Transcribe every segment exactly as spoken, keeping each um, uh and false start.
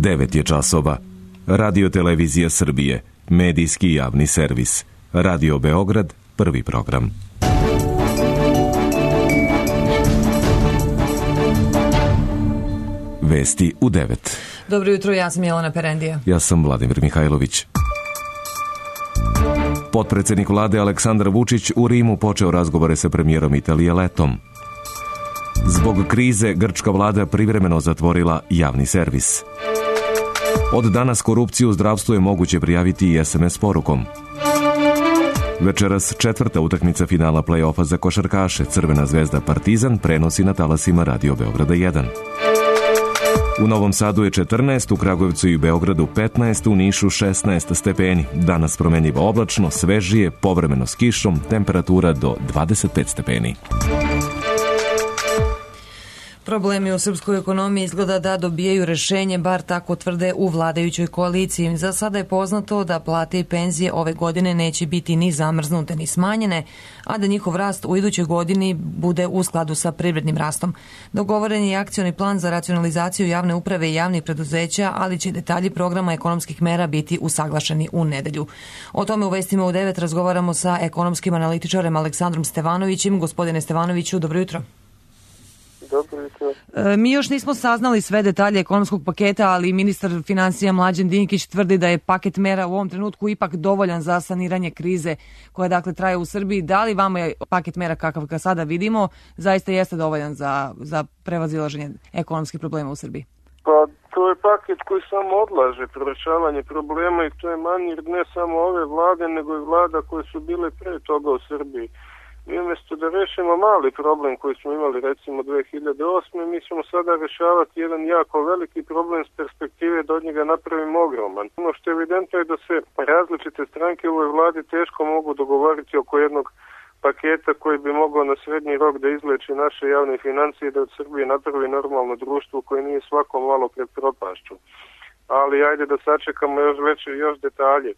devet je časova. Radio Televizija Srbije, medijski javni servis. Radio Beograd, prvi program. Vesti u devet. Dobro jutro, ja sam Jelena Perendija. Ja sam Vladimir Mihajlović. Potpredsednik vlade Aleksandar Vučić u Rimu počeo razgovore sa premijerom Italije Letom. Zbog krize grčka vlada privremeno zatvorila javni servis. Od danas korupciju u zdravstvu je moguće prijaviti i es em es porukom. Večeras četvrta utakmica finala play-offa za košarkaše. Crvena zvezda Partizan prenosi na talasima Radio Beograda jedan. U Novom Sadu je četrnaest, u Kragujevcu i Beogradu petnaest, u Nišu šesnaest stepeni. Danas promenljivo oblačno, svežije, povremeno s kišom, temperatura do dvadeset pet stepeni. Problemi u srpskoj ekonomiji izgleda da dobijaju rešenje, bar tako tvrde u vladajućoj koaliciji. Za sada je poznato da plate i penzije ove godine neće biti ni zamrznute ni smanjene, a da njihov rast u idućoj godini bude u skladu sa privrednim rastom. Dogovoren je akcioni plan za racionalizaciju javne uprave i javnih preduzeća, ali će detalji programa ekonomskih mera biti usaglašeni u nedelju. O tome u vestima u devet razgovaramo sa ekonomskim analitičarem Aleksandrom Stevanovićem. Gospodine Stevanoviću, dobro jutro. E, mi još nismo saznali sve detalje ekonomskog paketa, ali ministar finansija Mlađan Dinkić tvrdi da je paket mera u ovom trenutku ipak dovoljan za saniranje krize koja dakle traje u Srbiji. Da li vama je paket mera kakav ga sada vidimo zaista jeste dovoljan za, za prevazilaženje ekonomskih problema u Srbiji? Pa to je paket koji samo odlaže rešavanje problema i to je manir ne samo ove vlade nego i vlada koje su bile pre toga u Srbiji. Mi umjesto da rešimo mali problem koji smo imali recimo dve hiljade osme. mi ćemo sada rešavati jedan jako veliki problem s perspektive da od njega napravimo ogroman. Ono što je evidentno je da se različite stranke u ovoj vladi teško mogu dogovoriti oko jednog paketa koji bi mogao na srednji rok da izleči naše javne financije i da od Srbije napravi normalno društvo koje nije svako malo pred propašću. Ali ajde da sačekamo još veće još detalje,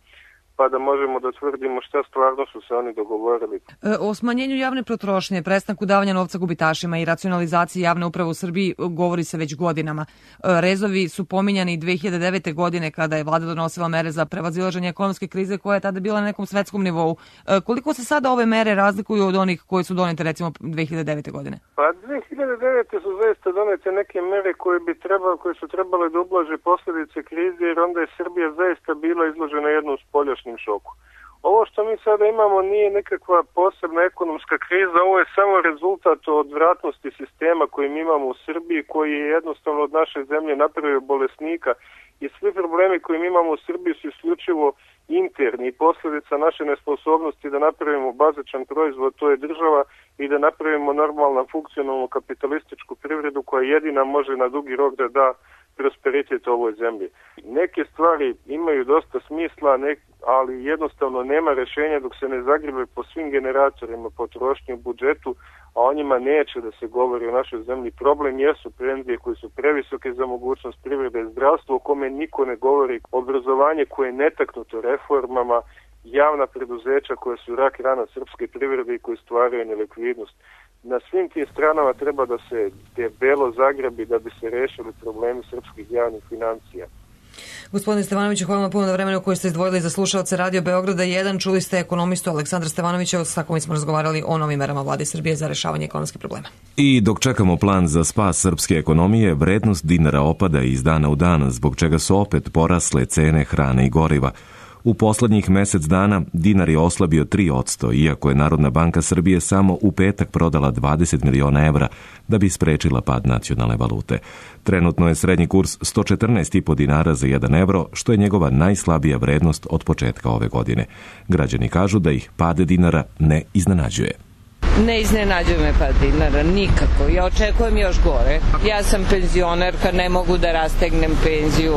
pa da možemo da tvrdimo šta stvarno su se oni dogovorili. O smanjenju javne potrošnje, prestanku davanja novca gubitašima i racionalizaciji javne uprave u Srbiji govori se već godinama. Rezovi su pominjani i dve hiljade devete. godine kada je vlada donosila mere za prevazilaženje ekonomske krize koja je tada bila na nekom svetskom nivou. Koliko se sada ove mere razlikuju od onih koje su donete recimo dve hiljade devete. godine? Pa dve hiljade devete. su zaista donete neke mere koje bi trebalo, koje su trebale da ublaže posljedice krize, jer onda je Srbija zaista bila izložena jednom spoljašnjem šoku. Ovo što mi sada imamo nije nekakva posebna ekonomska kriza, ovo je samo rezultat odvratnosti sistema koji mi imamo u Srbiji, koji je jednostavno od naše zemlje napravio bolesnika i svi problemi koji mi imamo u Srbiji su isključivo interni i posljedica naše nesposobnosti da napravimo bazičan proizvod, to je država, i da napravimo normalnu funkcionalnu kapitalističku privredu koja jedina može na dugi rok da da prosperitet ovoj zemlji. Neke stvari imaju dosta smisla, nek, ali jednostavno nema rešenja dok se ne zagribe po svim generatorima potrošnje u budžetu, a o njima neće da se govori o našoj zemlji. Problem jesu penzije koje su previsoke za mogućnost privrede, zdravstvo o kome niko ne govori, obrazovanje koje je netaknuto reformama, javna preduzeća koja su rak rana srpske privrede i koje stvaraju nelikvidnost. Na svim tim stranama treba da se debelo zagrabi da bi se rešili problemi srpskih javnih financija. Gospodine Stevanoviću, hvala vam puno na vremenu koje ste izdvojili za slušaoce Radio Beograda jedan. Čuli ste ekonomistu Aleksandra Stevanovića, sa kojim smo razgovarali o novim merama vlade Srbije za rešavanje ekonomskih problema. I dok čekamo plan za spas srpske ekonomije, vrednost dinara opada iz dana u dan, zbog čega su opet porasle cene hrane i goriva. U poslednjih mesec dana dinar je oslabio tri posto, iako je Narodna banka Srbije samo u petak prodala dvadeset miliona evra da bi sprečila pad nacionalne valute. Trenutno je srednji kurs sto četrnaest zarez pet dinara za jedan evro, što je njegova najslabija vrednost od početka ove godine. Građani kažu da ih pad dinara ne iznenađuje. Ne iznenađuje me pad dinara, nikako. Ja očekujem još gore. Ja sam penzionerka, ne mogu da rastegnem penziju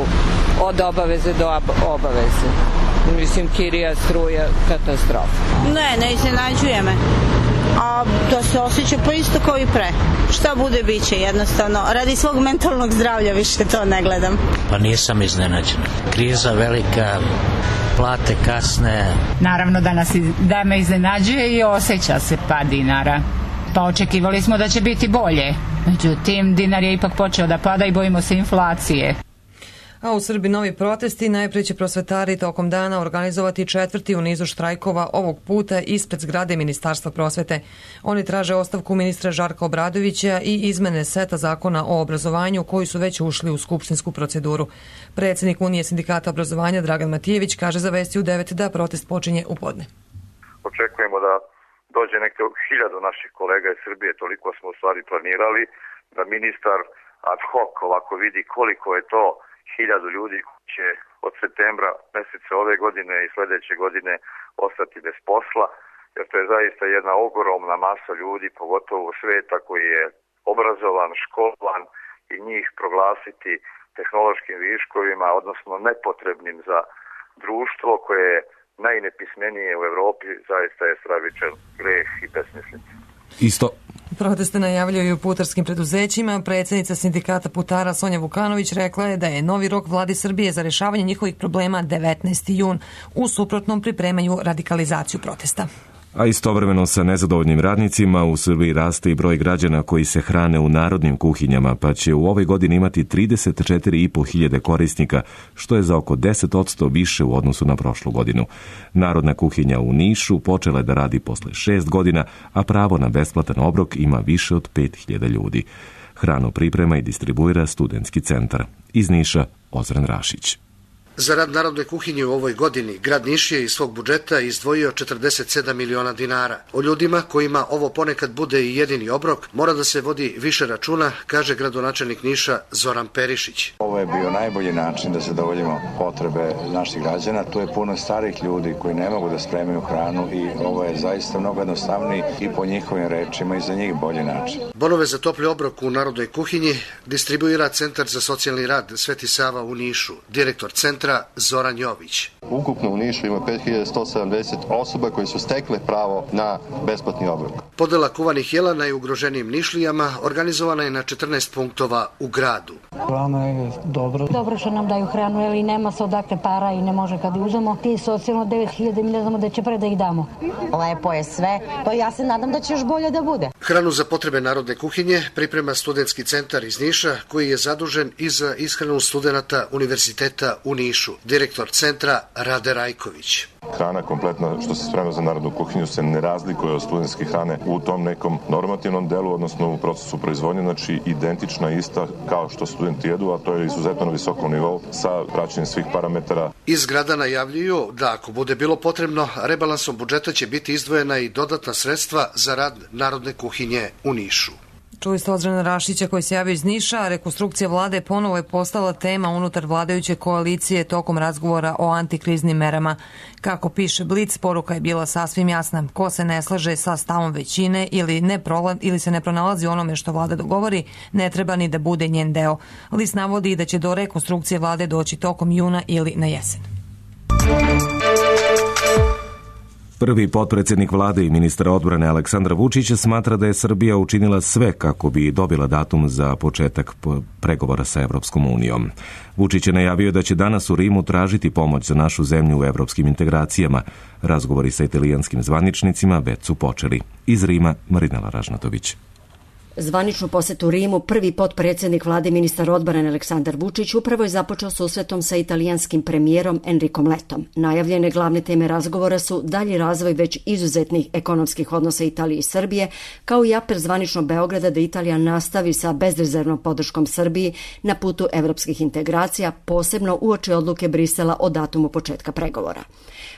od obaveze do obaveze. Mislim, kirija, struja, katastrofa. Ne, ne iznenađuje me. A to se osjeća pa isto kao i pre. Šta bude, bit će jednostavno. Radi svog mentalnog zdravlja više to ne gledam. Pa nisam iznenađena. Kriza velika, plate kasne. Naravno da, nas, da me iznenađuje i osjeća se pad dinara. Pa očekivali smo da će biti bolje. Međutim, dinar je ipak počeo da pada i bojimo se inflacije. A u Srbiji novi protesti, najprije će prosvetari tokom dana organizovati četvrti u nizu štrajkova, ovog puta ispred zgrade Ministarstva prosvete. Oni traže ostavku ministra Žarka Obradovića i izmene seta zakona o obrazovanju koji su već ušli u skupštinsku proceduru. Predsjednik Unije sindikata obrazovanja Dragan Matijević kaže za Vesti u devet da protest počinje u podne. Očekujemo da dođe neke hiljadu naših kolega iz Srbije, toliko smo u stvari planirali, da ministar ad hoc ovako vidi koliko je to hiljadu ljudi koji će od septembra mjeseca ove godine i sljedeće godine ostati bez posla, jer to je zaista jedna ogromna masa ljudi, pogotovo u sveta koji je obrazovan, školovan i njih proglasiti tehnološkim viškovima, odnosno nepotrebnim za društvo koje je najnepismenije u Europi, zaista je stravičan greh i besmislica. Isto. Proteste najavljuju u putarskim preduzećima. Predsjednica sindikata putara Sonja Vukanović rekla je da je novi rok vladi Srbije za rješavanje njihovih problema devetnaesti jun. U suprotnom pripremaju radikalizaciju protesta. A istovremeno sa nezadovoljnim radnicima u Srbiji raste i broj građana koji se hrane u narodnim kuhinjama, pa će u ovoj godini imati trideset četiri i po hiljade korisnika, što je za oko deset posto više u odnosu na prošlu godinu. Narodna kuhinja u Nišu počela je da radi posle šest godina, a pravo na besplatan obrok ima više od pet hiljada ljudi. Hranu priprema i distribuira Studentski centar. Iz Niša, Ozren Rašić. Za rad narodne kuhinje u ovoj godini grad Niš je iz svog budžeta izdvojio četrdeset sedam miliona dinara. O ljudima kojima ovo ponekad bude i jedini obrok mora da se vodi više računa, kaže gradonačelnik Niša Zoran Perišić. Ovo je bio najbolji način da zadovoljimo potrebe naših građana. Tu je puno starih ljudi koji ne mogu da spremaju hranu i ovo je zaista mnogo jednostavniji i po njihovim rečima i za njih bolji način. Bonove za topli obrok u narodnoj kuhinji distribuira Centar za socijalni rad Sveti Sava u Nišu, direktor centra Zoran Jović. Ukupno u Nišu ima pet hiljada sto sedamdeset osoba koji su stekle pravo na besplatni obrok. Podela kuvanih jela najugroženijim Nišlijama organizovana je na četrnaest punktova u gradu. Hrana je dobro. Dobro što nam daju hranu, jer nema se odakle para i ne može kad uzemo. Ti socijalno devet hiljada mi ne znamo da će pre da ih damo. Lepo je sve, to ja se nadam da će još bolje da bude. Hranu za potrebe narodne kuhinje priprema Studentski centar iz Niša, koji je zadužen i za ishranu studenata Univerziteta u Nišu. Direktor centra Rade Rajković. Hrana kompletna što se sprema za narodnu kuhinju se ne razlikuje od studentske hrane u tom nekom normativnom delu, odnosno u procesu proizvodnje, znači identična ista kao što studenti jedu, a to je izuzetno na visokom nivou sa praćenjem svih parametara. Iz grada najavljuju da ako bude bilo potrebno, rebalansom budžeta će biti izdvojena i dodatna sredstva za rad narodne kuhinje u Nišu. Čuli ste Ozrena Rašića koji se javio iz Niša. Rekonstrukcija vlade ponovo je postala tema unutar vladajuće koalicije tokom razgovora o antikriznim merama. Kako piše Blic, poruka je bila sasvim jasna. Ko se ne slaže sa stavom većine ili, ne prola, ili se ne pronalazi onome što vlada dogovori, ne treba ni da bude njen deo. List navodi da će do rekonstrukcije vlade doći tokom juna ili na jesen. Prvi potpredsjednik vlade i ministar odbrane Aleksandar Vučić smatra da je Srbija učinila sve kako bi dobila datum za početak pregovora sa Evropskom unijom. Vučić je najavio da će danas u Rimu tražiti pomoć za našu zemlju u evropskim integracijama. Razgovori sa italijanskim zvaničnicima već su počeli. Iz Rima, Marinela Ražnatović. Zvaničnu posetu Rimu prvi potpredsjednik vlade ministar odbrane Aleksandar Vučić upravo je započeo susretom sa italijanskim premijerom Enricom Letom. Najavljene glavne teme razgovora su dalji razvoj već izuzetnih ekonomskih odnosa Italije i Srbije, kao i apel zvaničnog Beograda da Italija nastavi sa bezrezervnom podrškom Srbiji na putu evropskih integracija, posebno uoči odluke Brisela o datumu početka pregovora.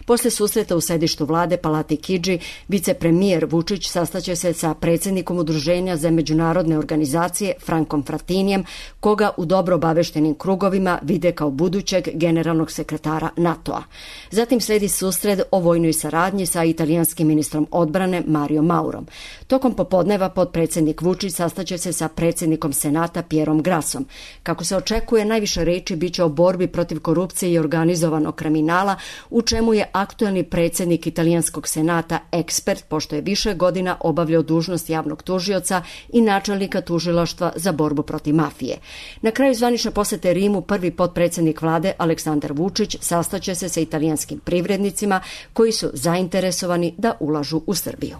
Posle susreta u sedištu vlade Palati Kidži, vicepremijer Vučić sastaće se sa predsjednikom udruženja za međunarodne organizacije Frankom Fratinijem, koga u dobro obaveštenim krugovima vide kao budućeg generalnog sekretara NATO-a. Zatim sledi susret o vojnoj saradnji sa italijanskim ministrom odbrane Mario Maurom. Tokom popodneva potpredsjednik Vučić sastaće se sa predsjednikom Senata Pierom Grassom. Kako se očekuje, najviše reči biće o borbi protiv korupcije i organizovanog kriminala, u čemu je aktuelni predsjednik italijanskog senata ekspert, pošto je više godina obavljao dužnost javnog tužioca i načelnika tužilaštva za borbu protiv mafije. Na kraju zvanične posete Rimu prvi potpredsjednik vlade Aleksandar Vučić sastaće se sa italijanskim privrednicima koji su zainteresovani da ulažu u Srbiju.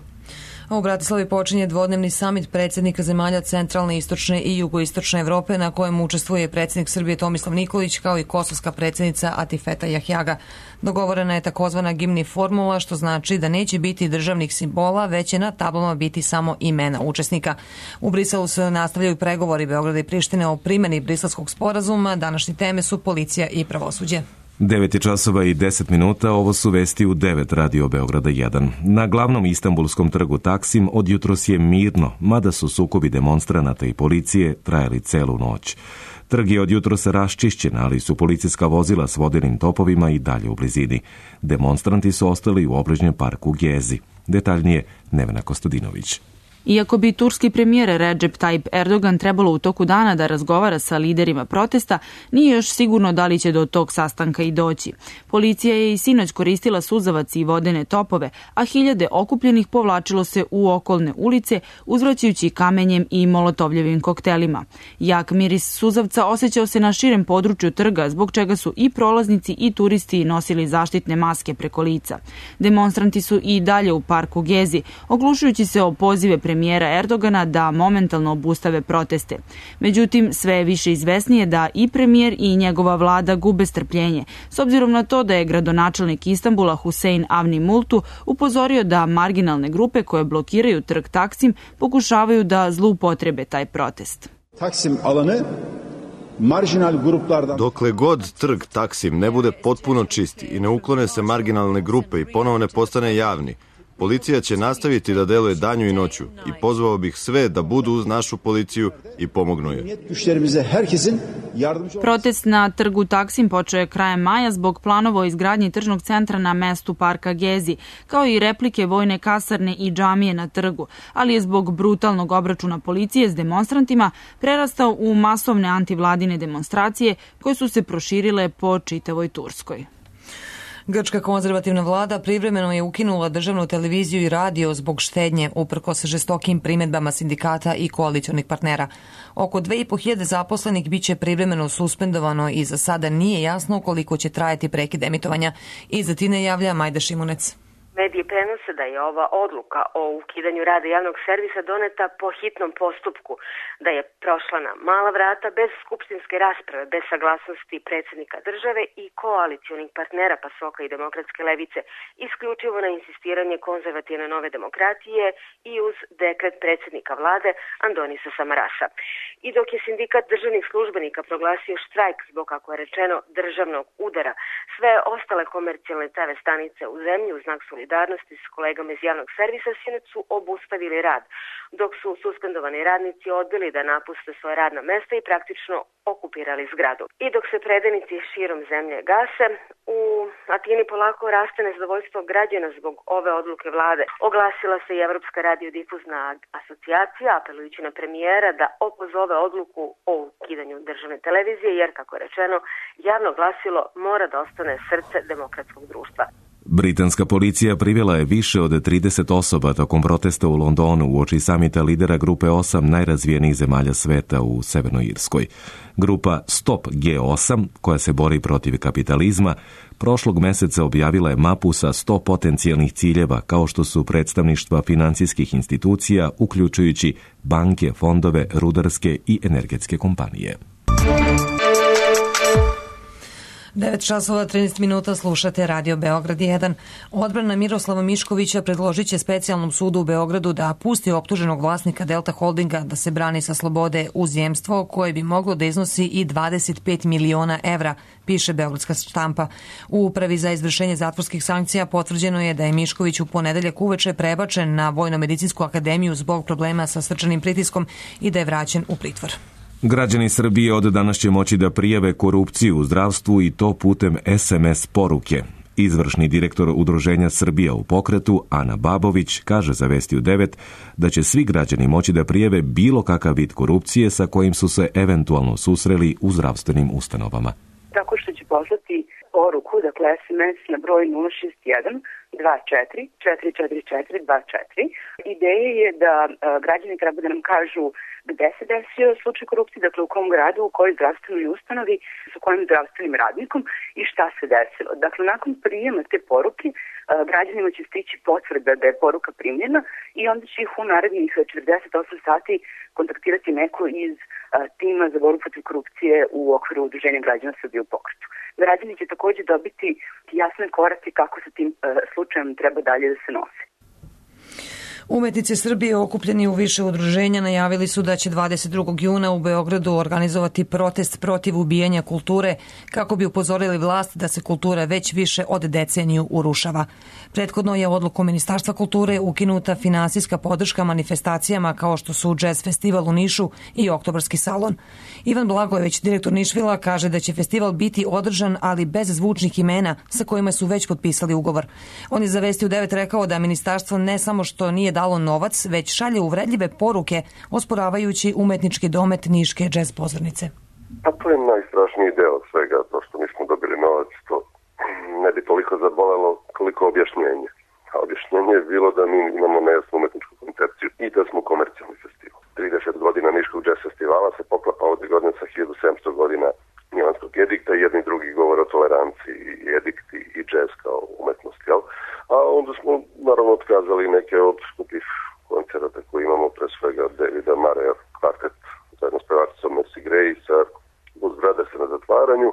U Bratislavi počinje dvodnevni samit predsjednika zemalja centralne, istočne i jugoistočne Evrope na kojem učestvuje predsjednik Srbije Tomislav Nikolić kao i kosovska predsjednica Atifeta Jahjaga. Dogovorena je takozvana gimni formula, što znači da neće biti državnih simbola, već će na tablama biti samo imena učesnika. U Briselu se nastavljaju pregovori Beograda i Prištine o primjeni Briselskog sporazuma. Današnje teme su policija i pravosuđe. devet je časova i deset minuta, ovo su vesti u devet Radio Beograda jedan. Na glavnom istanbulskom trgu Taksim od jutros je mirno, mada su sukobi demonstranata i policije trajali celu noć. Trg je od jutros raščišćen, ali su policijska vozila s vodenim topovima i dalje u blizini. Demonstranti su ostali u obližnjem parku Gezi. Detaljnije Nevena Kostadinović. Iako bi turski premijer Recep Tayyip Erdogan trebalo u toku dana da razgovara sa liderima protesta, nije još sigurno da li će do tog sastanka i doći. Policija je i sinoć koristila suzavac i vodene topove, a hiljade okupljenih povlačilo se u okolne ulice, uzvraćajući kamenjem i molotovljevim koktelima. Jak miris suzavca osjećao se na širem području trga, zbog čega su i prolaznici i turisti nosili zaštitne maske preko lica. Demonstranti su i dalje u parku Gezi, oglušujući se o pozive premijera Erdogana da momentalno obustave proteste. Međutim, sve je više izvesnije da i premijer i njegova vlada gube strpljenje, s obzirom na to da je gradonačelnik Istanbula Hüseyin Avni Multu upozorio da marginalne grupe koje blokiraju trg Taksim pokušavaju da zloupotrebe taj protest. Taksim alanı marginal gruplardan... Dokle god trg Taksim ne bude potpuno čisti i ne uklone se marginalne grupe i ponovo ne postane javni, policija će nastaviti da deluje danju i noću i pozvao bih sve da budu uz našu policiju i pomognu joj. Protest na trgu Taksim počeo je krajem maja zbog planova o izgradnji tržnog centra na mestu parka Gezi, kao i replike vojne kasarne i džamije na trgu, ali je zbog brutalnog obračuna policije s demonstrantima prerastao u masovne antivladine demonstracije koje su se proširile po čitavoj Turskoj. Grčka konzervativna vlada privremeno je ukinula državnu televiziju i radio zbog štednje, uprkos žestokim primjedbama sindikata i koalicionih partnera. Oko dve i po hiljade zaposlenih biće privremeno suspendovano i za sada nije jasno koliko će trajati prekid emitovanja. Iza Tine javlja Majda Šimunec. Mediji prenose da je ova odluka o ukidanju rada javnog servisa doneta po hitnom postupku, da je prošla na mala vrata bez skupštinske rasprave, bez saglasnosti predsjednika države i koalicionih partnera Pasoka i Demokratske levice, isključivo na insistiranje konzervativne Nove demokratije i uz dekret predsjednika vlade Andonisa Samarasa. I dok je sindikat državnih službenika proglasio štrajk zbog, kako je rečeno, državnog udara, sve ostale komercijalne te ve stanice u zemlji u znak solidarnosti s kolegama iz javnog servisa sinoć su obustavili rad, dok su suspendovani radnici odbili da napuste svoje radna mesta i praktično okupirali zgradu. I dok se predajnici širom zemlje gase, u Atini polako raste nezadovoljstvo građana zbog ove odluke vlade. Oglasila se i Evropska radiodifuzna asocijacija, apelujući na premijera da opozove odluku o ukidanju državne televizije, jer, kako je rečeno, javno glasilo mora da ostane srce demokratskog društva. Britanska policija privela je više od trideset osoba tokom protesta u Londonu uoči samita lidera grupe osam najrazvijenijih zemalja sveta u Severnoj Irskoj. Grupa Stop G osam, koja se bori protiv kapitalizma, prošlog meseca objavila je mapu sa sto potencijalnih ciljeva, kao što su predstavništva financijskih institucija, uključujući banke, fondove, rudarske i energetske kompanije. devet časova trinaest minuta, slušate Radio Beograd jedan. Odbrana Miroslava Miškovića predložit će specijalnom sudu u Beogradu da pusti optuženog vlasnika Delta Holdinga da se brani sa slobode uz jemstvo koje bi moglo da iznosi i dvadeset pet miliona evra, piše Beogradska štampa. U Upravi za izvršenje zatvorskih sankcija potvrđeno je da je Mišković u ponedeljak uveče prebačen na Vojno-medicinsku akademiju zbog problema sa srčanim pritiskom i da je vraćen u pritvor. Građani Srbije od danas će moći da prijave korupciju u zdravstvu i to putem es em es poruke. Izvršni direktor Udruženja Srbija u pokretu, Ana Babović, kaže za Vesti u devet da će svi građani moći da prijave bilo kakav vid korupcije sa kojim su se eventualno susreli u zdravstvenim ustanovama. Da tako što će poslati poruku, dakle es em es na broj nula šest jedan dva četiri četiri četiri četiri dva četiri. Ideja je da a, građani treba da nam kažu gde se desio slučaj korupcije, dakle u kom gradu, u kojoj zdravstvenoj ustanovi, sa kojim zdravstvenim radnikom i šta se desilo. Dakle, nakon prijema te poruke, a, građanima će stići potvrda da je poruka primljena i onda će ih u narednih četrdeset osam sati kontaktirati neko iz a, tima za borbu protiv korupcije u okviru Udruženja građana Srbije u pokretu. Građani će takođe dobiti jasne korake kako sa tim a, slučajem treba dalje da se nose. Umetnici Srbije okupljeni u više udruženja najavili su da će dvadeset drugog juna u Beogradu organizovati protest protiv ubijanja kulture kako bi upozorili vlast da se kultura već više od deceniju urušava. Prethodno je odlukom Ministarstva kulture ukinuta finansijska podrška manifestacijama kao što su Jazz festival u Nišu i Oktobarski salon. Ivan Blagojević, direktor Nišvila, kaže da će festival biti održan, ali bez zvučnih imena sa kojima su već potpisali ugovor. On je za Vesti u devet rekao da ministarstvo ne samo što nije dalo novac, već šalje uvredljive poruke osporavajući umetnički domet Niške džez pozornice. Pa to je najstrašniji deo svega, to što nismo dobili novac, to ne bi toliko zabolelo koliko objašnjenje. A objašnjenje je bilo da mi imamo nejasnu umetničku koncepciju i da smo komercijalni festival. trideset godina Niškog džez festivala se poklapa ovde godine sa hiljadu sedamsto godina Milanskog edikta i jedni drugi govor o toleranciji i edikt i džez kao umetnost, jel? A onda smo naravno otkazali neke od skupih koncerata koje imamo, pre svega Davida Mareja kvartet zajedno s pevačicom Mercy Grace, Blues Brothers na zatvaranju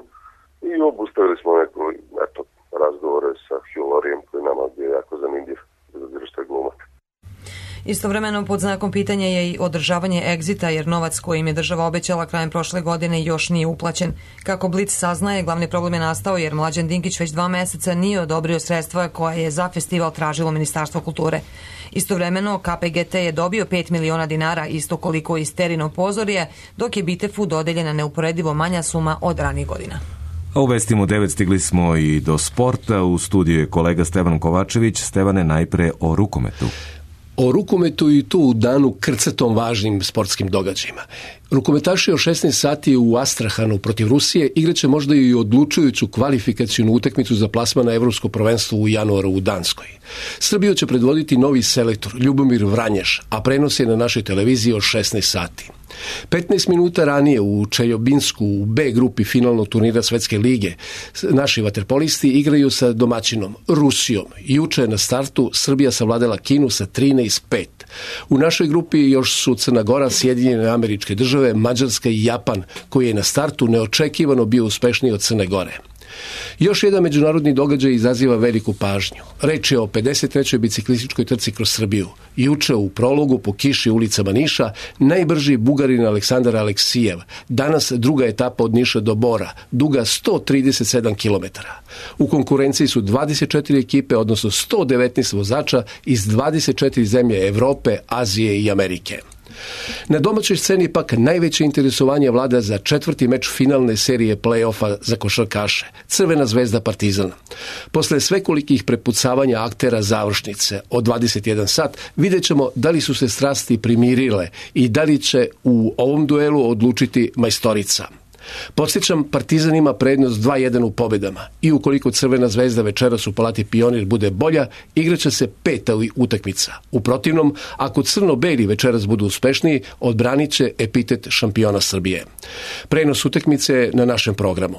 i obustavili smo neko eto, razgovore sa Hugh Lauriem koji nama bio jako zanimljiv, bez obzira što je glumac. Istovremeno pod znakom pitanja je i održavanje egzita jer novac koji im je država obećala krajem prošle godine još nije uplaćen. Kako Blic saznaje, glavni problem je nastao jer Mlađan Dinkić već dva meseca nije odobrio sredstva koja je za festival tražilo Ministarstvo kulture. Istovremeno K P G T je dobio pet miliona dinara, isto koliko i Sterino pozorje, dok je Bitefu dodeljena neuporedivo manja suma od ranijih godina. A u Vestima u devet stigli smo i do sporta. U studiju je kolega Stevan Kovačević. Stevane, najpre o rukometu. O rukometu i tu u danu krcatom važnim sportskim događajima. Rukometaši o šesnaest sati u Astrahanu protiv Rusije igraće možda i odlučujuću kvalifikacijnu utakmicu za plasman na Evropsko prvenstvo u januaru u Danskoj. Srbiju će predvoditi novi selektor Ljubomir Vranješ, a prenos je na našoj televiziji o šesnaest sati. petnaest minuta ranije u Čeljobinsku u B grupi finalnog turnira Svetske lige naši vaterpolisti igraju sa domaćinom Rusijom. Juče je na startu Srbija savladala Kinu sa trinaest pet. U našoj grupi još su Crna Gora, Sjedinjene Američke Države, Mađarska i Japan, koji je na startu neočekivano bio uspešniji od Crne Gore. Još jedan međunarodni događaj izaziva veliku pažnju. Reč je o pedeset trećoj biciklističkoj trci kroz Srbiju. Juče u prologu po kiši ulicama Niša najbrži Bugarin Aleksandar Aleksijev. Danas druga etapa od Niša do Bora, duga sto trideset sedam kilometara. U konkurenciji su dvadeset četiri ekipe, odnosno sto devetnaest vozača iz dvadeset četiri zemlje Evrope, Azije i Amerike. Na domaćoj sceni pak najveće interesovanje vlada za četvrti meč finalne serije play-offa za košarkaše, Crvena zvezda Partizan. Posle svekolikih prepucavanja aktera završnice od dvadeset jedan sat vidjet ćemo da li su se strasti primirile i da li će u ovom duelu odlučiti majstorica. Podsjećam, Partizan ima prednost dva jedan u pobedama i ukoliko Crvena zvezda večeras u Palati Pionir bude bolja, igraće se peta utakmica. U protivnom, ako crno-beli večeras budu uspešniji, odbranit će epitet šampiona Srbije. Prenos utakmice je na našem programu.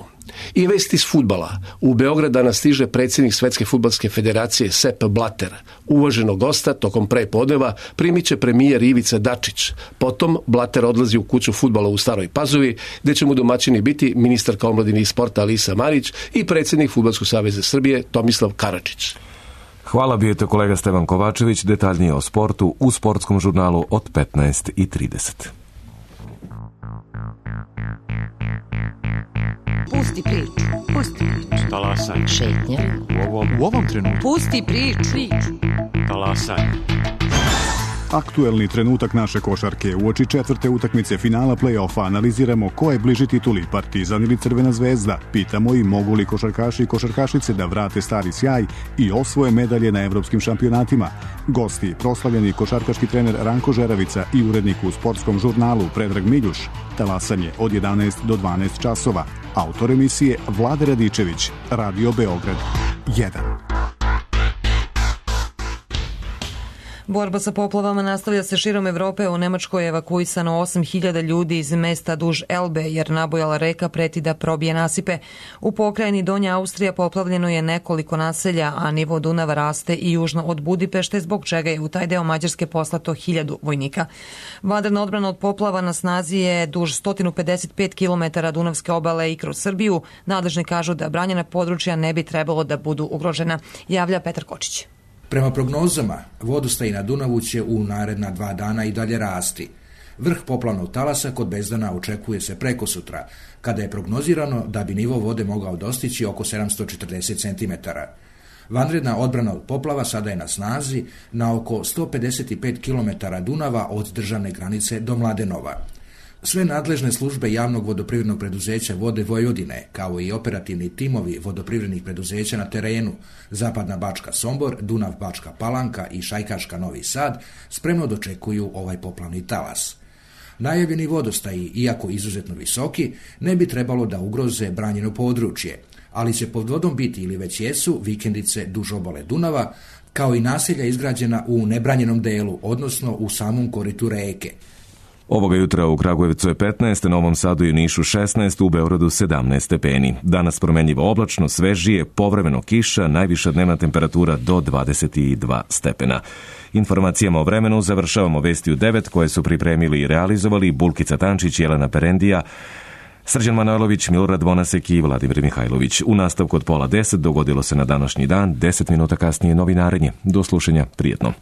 I vesti iz fudbala. U Beograd danas stiže predsjednik Svetske fudbalske federacije Sepp Blatter. Uvaženog gosta tokom prepodneva primit će premijer Ivica Dačić. Potom Blatter odlazi u kuću fudbala u Staroj Pazovi, gde će mu domaćini biti ministarka omladine i sporta Alisa Marić i predsjednik Fudbalskog saveza Srbije Tomislav Karadžić. Hvala, bio je to kolega Stevan Kovačević. Detaljnije o sportu u sportskom žurnalu od petnaest i trideset. Pusti priču. Pusti priču. Talasaj. Šetnja. U ovom, u ovom trenutku. Pusti priču. priču. Talasaj. Aktuelni trenutak naše košarke. Uoči četvrte utakmice finala play-offa analiziramo ko je bliži tituli, Partizan ili Crvena zvezda. Pitamo i mogu li košarkaši i košarkašice da vrate stari sjaj i osvoje medalje na evropskim šampionatima. Gosti, proslavljeni košarkaški trener Ranko Žeravica i urednik u sportskom žurnalu Predrag Miljuš. Talasanje od jedanaest do dvanaest časova. Autor emisije Vlade Radičević, Radio Beograd jedan. Borba sa poplavama nastavlja se širom Evrope. U Nemačkoj je evakuisano osam hiljada ljudi iz mesta duž Elbe, jer nabujala reka preti da probije nasipe. U pokrajini Donja Austrija poplavljeno je nekoliko naselja, a nivo Dunava raste i južno od Budimpešte, zbog čega je u taj deo Mađarske poslato hiljadu vojnika. Vanredna odbrana od poplava na snazi je duž sto pedeset pet kilometara Dunavske obale i kroz Srbiju. Nadležni kažu da branjena područja ne bi trebalo da budu ugrožena, javlja Petar Kočić. Prema prognozama, vodostaj na Dunavu će u naredna dva dana i dalje rasti. Vrh poplavnog talasa kod Bezdana očekuje se preko sutra, kada je prognozirano da bi nivo vode mogao dostići oko sedamsto četrdeset centimetara. Vanredna odbrana od poplava sada je na snazi na oko sto pedeset pet kilometara Dunava od državne granice do Mladenova. Sve nadležne službe javnog vodoprivrednog preduzeća Vode Vojvodine, kao i operativni timovi vodoprivrednih preduzeća na terenu, Zapadna Bačka Sombor, Dunav Bačka Palanka i Šajkaška Novi Sad, spremno dočekuju ovaj poplavni talas. Najavljeni vodostaji, iako izuzetno visoki, ne bi trebalo da ugroze branjeno područje, ali će pod vodom biti ili već jesu vikendice duž obale Dunava, kao i naselja izgrađena u nebranjenom delu, odnosno u samom koritu reke. Ovoga jutra u Kragujevcu je petnaest, na Novom Sadu i Nišu šesnaest, u Beogradu sedamnaest stepeni. Danas promenljivo oblačno, svežije, povremeno kiša, najviša dnevna temperatura do dvadeset dva stepena. Informacijama o vremenu završavamo vesti u devet koje su pripremili i realizovali Bulkica Tančić, Jelena Perendija, Srđan Manojlović, Milorad Vonasek i Vladimir Mihajlović. U nastavku od pola deset dogodilo se na današnji dan, deset minuta kasnije novinarenje. Do slušanja, prijetno.